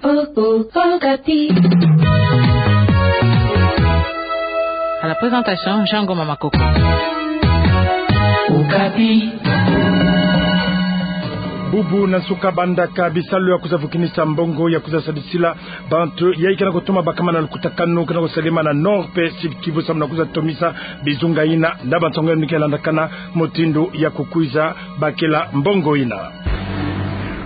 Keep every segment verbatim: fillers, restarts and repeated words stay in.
Oh, oh, Okapi. À la présentation, Jean Ngoma Makoko. Okapi. Bubu na nsuka bandaka bisalu ya kwiza vukinisa mbongo ya kwiza sadisila bantu yayi kena kutoma bakama na lukutakanu kena kusalema na Nord pe Sud Kivu samu na kwiza tomisa bizunga ina na bansango ya mike landakana mutindu ya kukwiza bakela mbongo ina.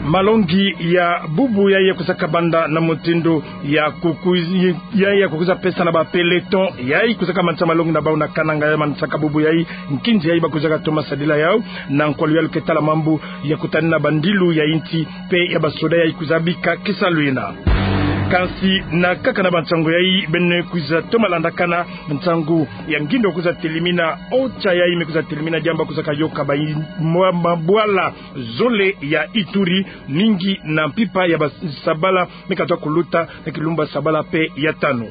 Malongi ya bubu yayi ya kwizaka banda na mutindu ya kukwiz-, yayi ya kukwiza pesa na ba peloton, yayi kwizaka manisa malongi na bau na Kananga ya manisaka bubu yayi nkinzi yayi ba kwizaka toma sadila yau, na nkwa luyalu ke tala mambu ya kutanina bandilu ya insi pe ya basoda yayi kwiza bika kisalu ina. Kansi na kaka na bansango yayi beno kwiza toma landakana nsangu ya ngindo kwiza telimina, ocha yayi me kwiza telimina diambu kwizaka yoka ba i-, mwa-, mabwala zole ya Ituri, mingi na mpimpa ya basabala me katwa kuluta na kilumbu ya sabala pe ya tanu.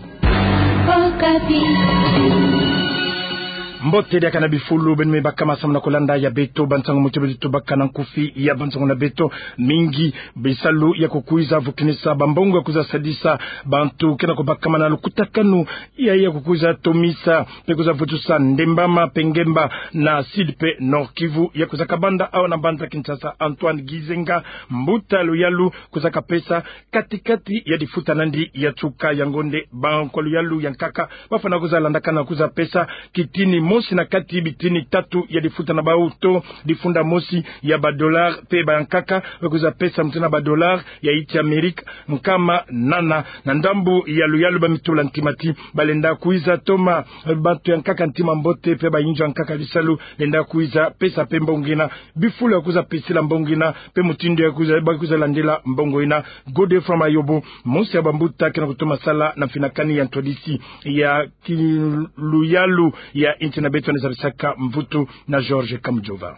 Mbote diaka na bifulu beno me bakama samu na kolanda ya beto bansango muti beto tubaka na nkufi ya bansango na beto. Mingi bisalu ya kukwiza vukinisa bambongo ya kwiza sadisa bantu kena kubakama na lukutakanu yayi ya kukwiza tomisa pe kwiza vutusa ndembama pe ngemba na Sud pe Nord Kivu ya kwizaka banda awa na mbanza Kinshasa. Antoine Gizenga, mbuta luyalu, kwizaka pesa kati-kati ya difuta nandi ya nsuka ya ngonde. Ba nkwa luyalu ya nkaka bafwana kwiza landakana kwiza pesa kitini mosi na kati bitini tatu ya difuta na bau to difunda mosi ya ba dollar pe ba nkaka ba kwiza pesa mutindu na ba dollar ya insi Amerika nkama nana. Na ndambu ya luyalu ba mitula ntimati balenda kwiza toma bantu ya nkaka ntima mbote pe bayinzo ya nkaka bisalu lenda kwiza pesa pe mbongo ina, bifulu ya kwiza pesila mbongo ina pe mutindu ya kwiza, ba kwiza landila mbongo ina. Godefroid Mayobo, mosi ya bambuta kena kutoma sala na mfinakani ya ntwadisi ya ki-, luyalu ya insi na beto, ni zabisaka mvutu na George Kamujova.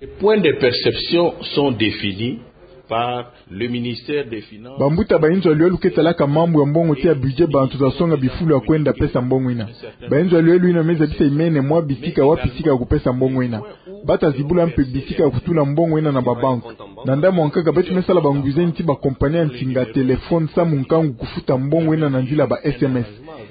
Les points de perception sont définis par le ministère des Finances. Bambuta bayinzo ya luyalu ke talaka mambu ya mbongo tia budget, bantu ta songa bifulu ya kwenda pesa mbongo ina. Bayinzo ya luyalu ina me zabisa imene mwa bisika, wapi sika ya kupesa mbongo ina. Ba ta zibula mpe bisika ya kutula mbongo ina na ba banque. Na ndambu ya nkaka beto me sala bangwiza nti ba compagnie ya nsinga téléphone samu nkangu kufuta mbongo ina na nzila ba S M S.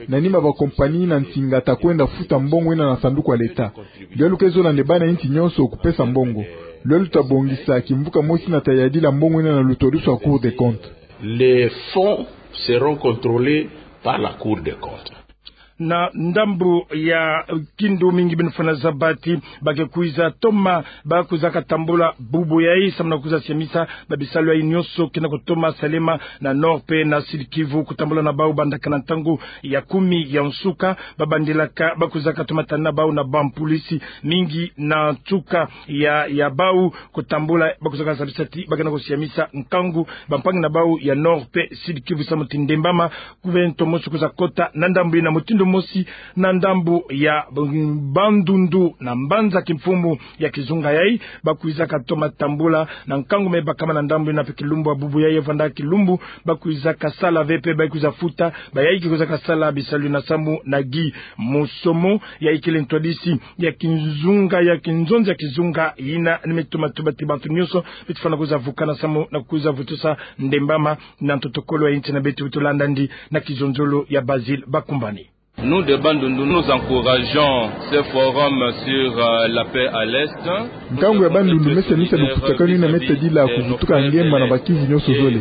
Na nima ba compagnie na nsinga ta kwenda futa mbongo ina na sanduku ya l'État. Luyalu ke zola nde bana insi nyonso kupesa mbongo. Luyalu ta bongisa kimvuka mosi ina ta yadila mbongo ina na lutwadusu ya Cour des comptes. Les fonds seront contrôlés par la Cour des comptes. Na ndambu ya kindu, mingi beno fwana zaba ti ba ke kwiza toma, ba kwizaka tambula bubu yayi samu na kwiza siamisa ba bisalu yayi nyonso kena kutoma salema na Nord pe na Sud Kivu, kutambula na bau bandaka na ntangu ya kumi ya nsuka. Ba bandilaka ba kwizaka toma tana bau na bampolisi mingi na nsuka ya, ya bau kutambula, ba kwizaka zabisa ti ba kena kusiamisa nkangu bampangi na bau ya Nord pe Sud Kivu samu ti ndembama kuvento mosi kwiza kota na ndambu ina. Mutindu mosi na ndambu ya Bandundu na mbanza kimfumu ya kizunga yayi, ba kwizaka toma tambula na nkangu me bakama na ndambu ina pe kilumbu ya bubu yayi, vanda kilumbu ba kwizaka sala ve pe ba kwiza futa bayayi ke kwizaka sala bisalu ina samu na Guy Musomo, yayi kele ntwadisi ya kizunga, ya kinzonzi ya kizunga ina. Ni me tuma tuba ti bantu nyonso beto fwana kwiza vukana samu na kwiza vutusa ndembama na ntotokolo ya insi na beto, beto landa ndi na kizonzolo ya Basile Bakumbani. Nous de Bandundu, nous encourageons ce forum sur, euh, la paix à l'Est. Nkangu ya Bandundu me siamisa lukutakanu ina me tadila kuvutuka ngemba na ba Kivu nyonso zole.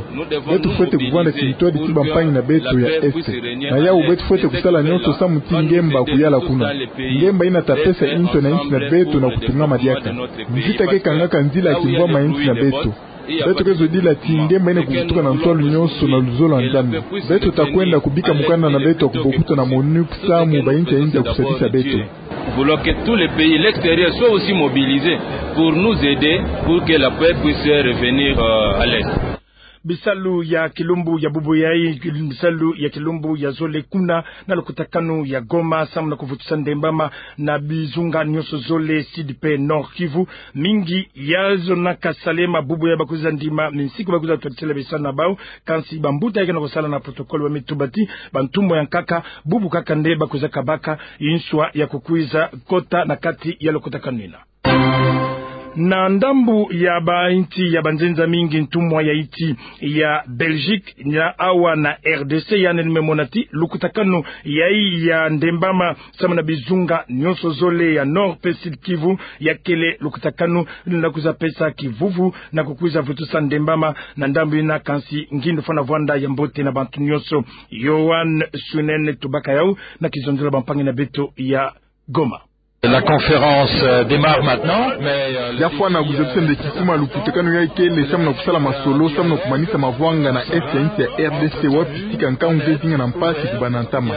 Beto fwete kuvanda kintwadi ti bampangi na beto ya Est. Na yau beto fwete kusala nyonso samu ti ngemba kuyala kuna. Ngemba ina ta pesa inso na insi na beto na kutungama diaka. Nzita ke kangaka nzila ya kimvwama ya insi na beto. Beto ke zodila ti ngemba ina kuvutuka na ntwalu nyonso na luzolo ya Nzambi. Beto ta kwenda kubika mukanda na beto ya kubokuta na MONUC samu bayinsi ya insi ya kusadisa beto. Voulons que tous les pays, l'extérieur, soient aussi mobilisés pour nous aider pour que la paix puisse revenir, euh, à l'Est. Bisalu ya kilumbu ya bubu yayi, bisalu ya kilumbu ya zole kuna na lukutakanu ya Goma, samu na kuvutusa ndembama na bizunga nyonso zole, Sud pe Nord Kivu. Mingi ya zonaka salema bubu yayi ba kwiza ndima minsiku ba kwiza twatisela bisalu na bau. Kansi bambuta yayi kena kusala na protocole ba me tuba ti bantumwa ya nkaka, bubu kaka nde ba kwiza kabaka inswa ya kukwiza kota na kati ya lukutakanu ina. Na ndambu ya bainsi ya banzenza mingi, ntumwa ya insi ya Belgique na awa na R D C, yandi me mona ti lukutakanu yayi ya ndembama samu na bizunga nyonso zole ya Nord pe Sud Kivu, yakele lukutakanu na kwiza pesa kivuvu na kukwiza vutusa ndembama na ndambu yina, kansi ngindu fwana vwanda ya mbote na bantu nyonso. Yoann Sunen Tubaka yau na kizonzolo ya bampangi na beto ya Goma. La conférence, euh, démarre maintenant, mais, euh, le Ya fwana défi, kuzabisa euh, nde kisima lukutakanu yayi kele samu na kusala masolo samu na kumanisa mavwanga na est ya insi ya R D C, wapi tika nkangu ke zinga na mpasi ku bana ntama.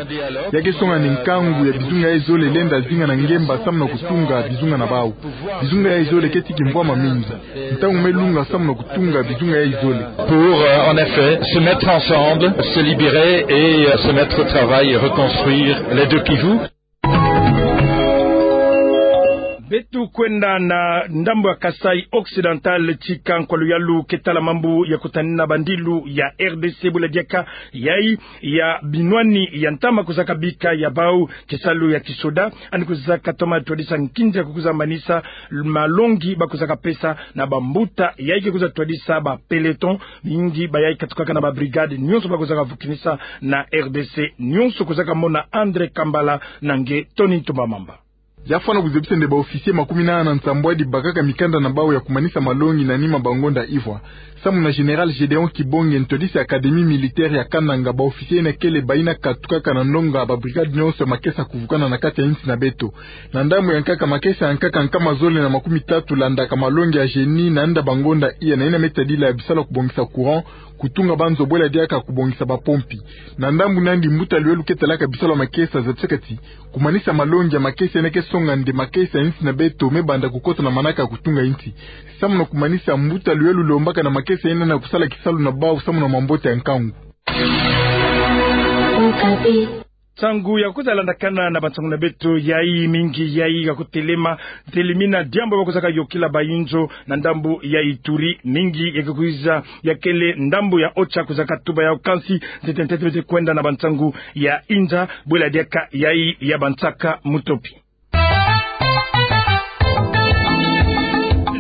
Ya ke songa nde nkangu ya bizunga yayi zole lenda zinga na ngemba samu na kutunga bizunga na bau. Bizunga yayi zole ke ti kimvwama mingi. Ntangu me lunga samu na kutunga bizunga yayi zole. Pour, euh, en effet, se mettre ensemble, se libérer et, euh, se mettre au travail et reconstruire les deux Kivu. Beto kwenda na ndambu ya Kasaï Occidental, tika nkwa luyalu ke tala mambu ya kutanina bandilu ya R D C bwela diaka yayi ya binwani ya ntama kuzaka bika ya bau kisalu ya kisoda, yandi kuzaka toma twadisa nkinzi ya kukwiza manisa malongi ba kuzaka pesa na bambuta yayi ke kwiza twadisa ba peloton. Mingi bayayi katukaka na ba brigade nyonso ba kuzaka vukinisa na R D C nyonso. Kuzaka mona André Kambala na nge Tony Ntumba Mamba. Ya fwana kuzabisa nde ba officier makumi nana na nsambwadi bakaka mikanda na bau ya kumanisa malongi na nima ba ngonda ivwa. Samu na Général Gédéon Kibonge, ntwadisi académie militaire ya Kananga, ba officier yina kele bayina katukaka na ndonga ba brigade nyonso ya makesa kuvukana na kati ya insi na beto. Na ndambu ya nkaka, makesa ya nkaka nkama zole na makumi tatu landaka malongi ya génie na nda ba ngonda iya, na yina me tadila ya bisalu ya kubongisa courant, kutunga banzo bwela diaka kubongisa ba pompi. Na ndambu nandi, mbuta luyalu ke talaka bisalu ya makesa zabisaka ti kumanisa malongi ya makesa yina ke songa nde makesa ya insi na beto me banda kukota na manaka ya kutunga insi. Samu na kumanisa, mbuta luyalu lombaka na makesa yina na kusala kisalu na bau samu na mambote ya nkangu. Nsangu ya kwiza landakana na bansangu na beto yayi, mingi yayi ya kutelema, telimina diambu ba kuzaka yokila bayinzo na ndambu ya Ituri, mingi ya ke kwiza, ya kele ndambu ya OCHA kuzaka tuba yau, kansi ntete ntete beto kwenda na bansangu ya inza bwela diaka yayi ya bansaka mutopi.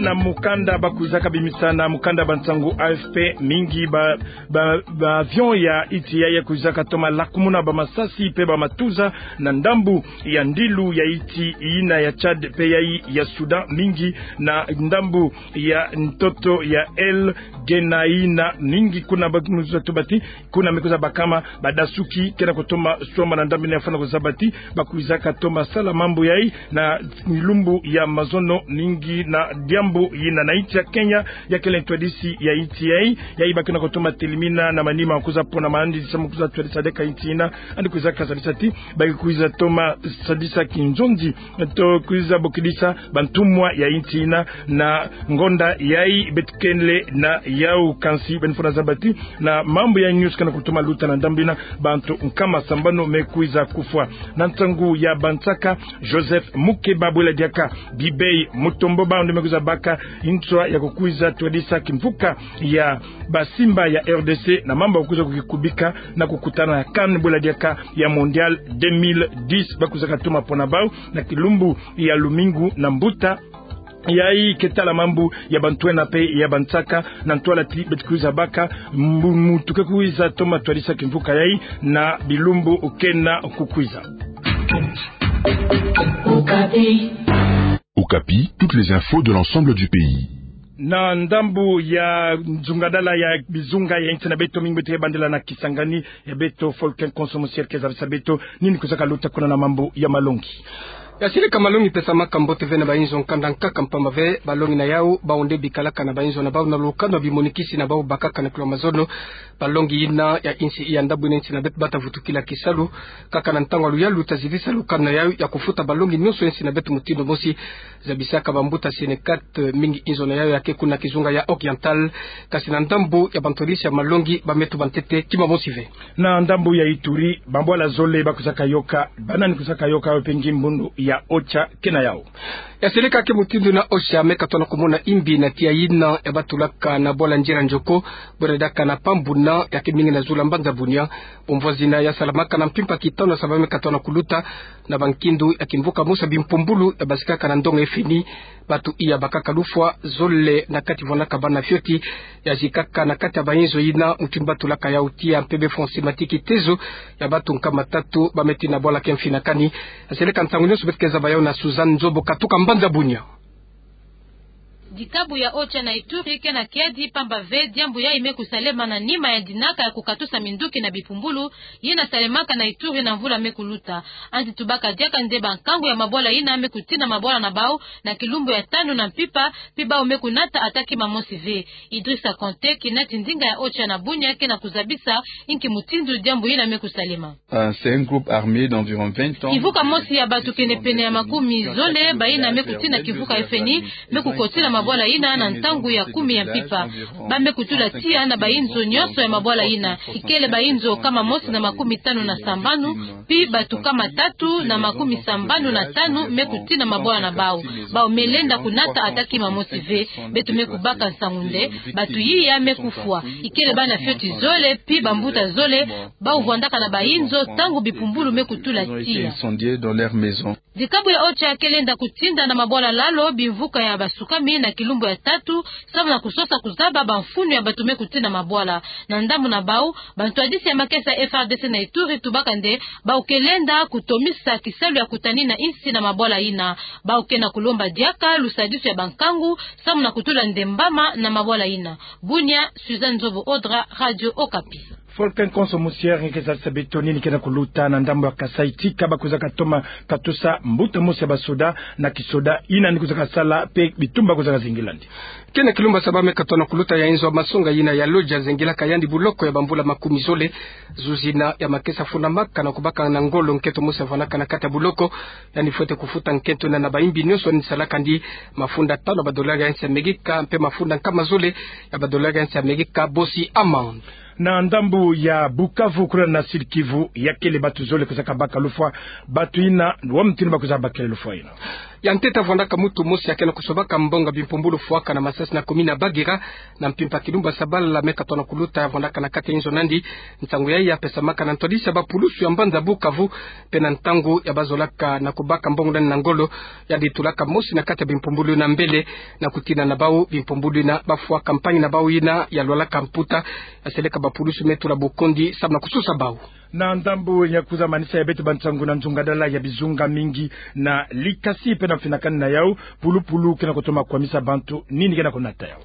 Na mukanda ba kwizaka bimisa na mukanda ba nsangu A F P, mingi ba, ba, ba avion ya insi yayi ya kwizaka toma lakumuna ba masasi pe ba matuza na ndambu ya ndilu ya insi yina ya Tchad pe yayi ya Soudan, mingi na ndambu ya ntoto ya El Geneina, mingi kuna ba kwiza tuba ti kuna me kwiza bakama badasuki ke na kutoma swama na ndambu yina. Ya fwana kuzaba ti ba kwizaka toma sala mambu yayi na lumbu ya mazono, mingi na diambu yina. Na insi ya Kenya, ya kele ntwadisi ya insi yayi, yayi ba ke na kutoma telimina na manima kwiza pona mandisi samu kwiza twadisa diaka insi yina, yandi kwizaka zabisa ti ba kwiza toma sadisa kinzonzi to kwiza bokidisa bantumwa ya insi yina na ngonda yayi beto kele na yau, kansi beno fwana zaba ti na mambu ya nyonso ke na kutoma luta na ndambu yina, bantu nkama sambanu me kwiza kufwa. Na nsangu ya bansaka, Joseph Mukeba bwela diaka Bibei Mutombo, bawu nde me kwiza baka nswa ya kukwiza twadisa kimvuka ya basimba ya R D C na mambu ya kukwiza kukikubika na kukutana ya CAN bwela diaka ya Mondial deux mille dix, ba kwizaka toma pona bawu na kilumbu ya lumingu na mbuta yayi ke tala mambu ya bantwenya pe ya bansaka, na ntwala ti beto kwiza baka mbu-, muntu ke kwiza toma twadisa kimvuka yayi na bilumbu ke na kukwiza. Okapi, toutes les infos de l'ensemble du pays. Na ndambu ya nzungadala ya bizunga ya insi na beto, mingi beto ke bandela na Kisangani, ya beto Folken Konso Musier ke zabisa beto nini kwizaka luta kuna na mambu ya malongi. Ya silika, malongi pesamaka mbote ve na bayinzo nkanda nkaka, mpamba ve balongi na yawu, bawu nde bikalaka na bayinzo na bawu na lukanu ya bimonikisi na bawu bakaka na kilo mazono. Balongi yina ya insi ya ndambu yina insi na beto bata vutukila kisalu, kaka na ntangu ya luyalu ta zitisa lukanu na yawu ya kufuta balongi nyonso ya insi na beto mutindu mosi. Zabisaka bambuta Synecat, mingi inzo na yawu ya ke kuna kizunga ya Oriental, kasi na ndambu ya bantwadisi ya malongi ba me tuba ntete kima mosi ve. Na ndambu ya Ituri, bambwala zole ba kwizaka yoka, banani kwizaka yoka, yo pe ngimbundu ya OCHA ke na yawu. Ya silika, ke mutindu yina OCHA me katona kumona imbi na tiya yina ya batulaka na bwala Nzila Nzoko, bwela diaka na Pambuna, ya ke mingi na zulu ya mbanza Bunia. Bumvwazina ya salamaka na mpimpa kitanu ya saba me katona kuluta na bankindu ya kimvuka mosi ya bimpumbulu ya basikaka na ndonga ya FMI. Bato iya bakaka lufwa zole na kati vwandaka bana fioti ya zikaka na kati ya bainzo yina mutindu ba tulaka yau tiya mpe be fonse matiki tezo ya bato nkama tatu ba me tina bwala ke mfinakani. Seleka nsangu nyonso beto ke zaba yau na Suzanne Nzobo katuka mbanza Bunia. Dikabu ya OCHA na Ituri ke na kiadi pamba ve diambu yayi me kusalema na nima ya dinaka ya kukatusa minduki na bipumbulu yina salemaka na Ituri na mvula me kuluta. Anti tubaka diaka nde bankangu ya mabwala yina me kutina mabwala na bau na kilumbu ya tanu na mpimpa, mpi bau me kunata ata kima mosi ve. Idrissa Konté, kinati ndinga ya OCHA na Bunia, ke na kuzabisa inki mutindu diambu yina me kusalema. Ah, c'est un groupe armé d'environ vingt hommes. Kivuka mosi ya bato kenepene ya makumi zole, bayina me kutina kivuka ya feni, me kukotila mabwala yina na ntangu ya kumi ya mpimpa. Ba me kutula tiya na bainzo nyonso ya mabwala yina. Ikele bainzo nkama mosi na makumi tanu na sambanu, mpi bato nkama tatu na makumi sambanu na tanu me kutina mabwala na bau. Bau me lenda kunata ata kima mosi ve. Beto me kubaka nsangu nde bato yiya me kufwa. Ikele bana fioti zole, mpi bambuta zole, bau vwandaka na bainzo ntangu bipumbulu me kutula tiya. Dikabu ya OCHA ke lenda kutinda na mabwala lalo bimvuka ya basukami na kilumbu ya tatu, samu na kusosa kuzaba bamfunu ya bato me kutina mabwala. Na ndambu na bau, bantwadisi ya makesa ya FARDC na Ituri tubaka nde bau ke lenda kutomisa kisalu ya kutanina insi na mabwala yina. Bau ke na kulomba diaka lusadisu ya bankangu, samu na kutula nde mbama na mabwala yina. Bunia, Suzanne Nzobo Odra, Radio Okapi. Volcan Konso Musier, nge ke zalisa beto nini ke na kuluta na ndambu ya Kasaï tika ba kwizaka toma katusa mbuta mosi ya basoda na kisoda yina ni kwizaka sala mpe bitumba kwizaka zingilandi. Ke na kilumbu ya saba me katona kuluta ya inzo masonga yina ya Lodja zengilaka yandi buloko ya bamvula makumi zole. Zuzi yina ya makesa fundamaka na kubaka na ngolo nkento mosi ya vwandaka na kati ya buloko. Yandi fwete kufuta nkento yina na bayimbi nyonso yandi salaka ndi mafunda tanu ya badolari ya nsi ya Amerika mpe mafunda nkama zole ya badolari ya nsi ya Amerika bosi amande. Na ndambu ya Bukavu, kuna na Sud-Kivu, ya kele bato zole kwizaka baka lufwa. Bato yina, wa mutindu ba kwizaka bakela lufwa yina? Ya ntete vwandaka mutu mosi ya ke na kusobaka mbongo ya bimpumbulu fwaka na masasi na commune ya Bagira, na mpimpa kilumbu ya saba me katona kuluta, ya vwandaka na kati ya inzo na yandi. Nsangu yayi ya pesamaka na ntwadisi ya bapulusu ya mbanza Bukavu, mpe na ntangu ya bazolaka na kubaka mbongo na yandi na ngolo, yandi tulaka mosi na kati ya bimpumbulu yina mbele na kutina na bau bimpumbulu yina ba fwa campagne na bau yina ya lwalaka mputa. Ya seleka bapulusu me tula bukondi samu na kusosa bau. Na ndambu ya kwiza manisa ya beto bansangu, na nzungadala ya bizunga mingi na Likasi mpe na mfinakani na yau, pulupulu ke na kutoma kwamisa bantu, nini ke na kunata yau?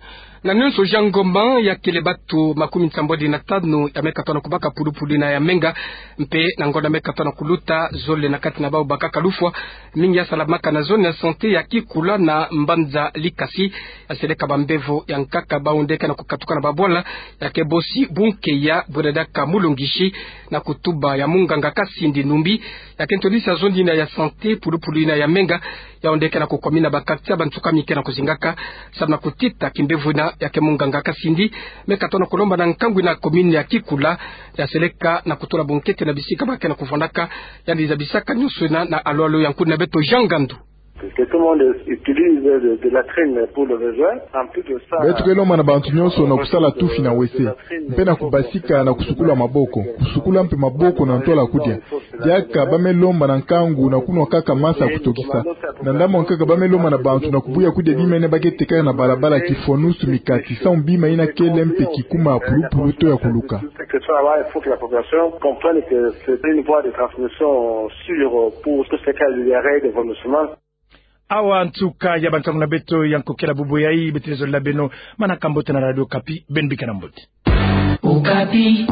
Na nyonso Jean Ngoma, ya kele bato makumi nsambwadi na tanu ya me katona kubaka pulupulu yina ya menga, mpe na ngonda me katona kuluta, zole na kati na bau bakaka lufwa. Mingi ya salamaka na zone ya santé ya Kikula na mbanza Likasi. Ya seleka bambevo ya nkaka bau nde ke na kukatuka na babwala, ya ke bosi bunkeya bwela diaka mulongisi na kutuba ya munganga Kasindi Numbi, ya ke ntwadisi ya zone yina ya santé, pulupulu yina ya menga, yau nde ke na kukwamina ba quartier ya bansukami ke na kuzingaka, samu na kutita kimbevo yina. Ya ke munganga Kasindi me katona kulomba na nkangu yina commune ya Kikula, ya seleka na kutula bunkete na bisika ba ke na kuvwandaka. Yandi zabisaka nyonso yina na alo alo ya nkuni na beto Jean Ngandu. Que tout le monde utilise de, de latrine pour le besoin. En plus de ça, beto ke lomba na bantu nyonso na kusala tufi na wese, mpe na kubasika na kusukula maboko, kusukula mpe maboko na ntwala kudia. Diaka ba me lomba na nkangu na kunwa kaka masa ya kutokisa. Na ndambu ya nkaka ba me lomba na bantu na kubuya kudia bima yina ba ke tekaka na balabala, kifonusu, mikati, samu bima yina kele mpe kikuma pulupulu to ya kuluka. Que ça va, il faut que la population comprenne que c'est une voie de transmission sûre pour tous ces cas de diarrhée, de vomissement. Awa nsuka ya bansangu na beto ya nkokela bubu yayi. Beto ke zolila beno manaka mbote na Radio Okapi, beno bika na mbote. Okapi.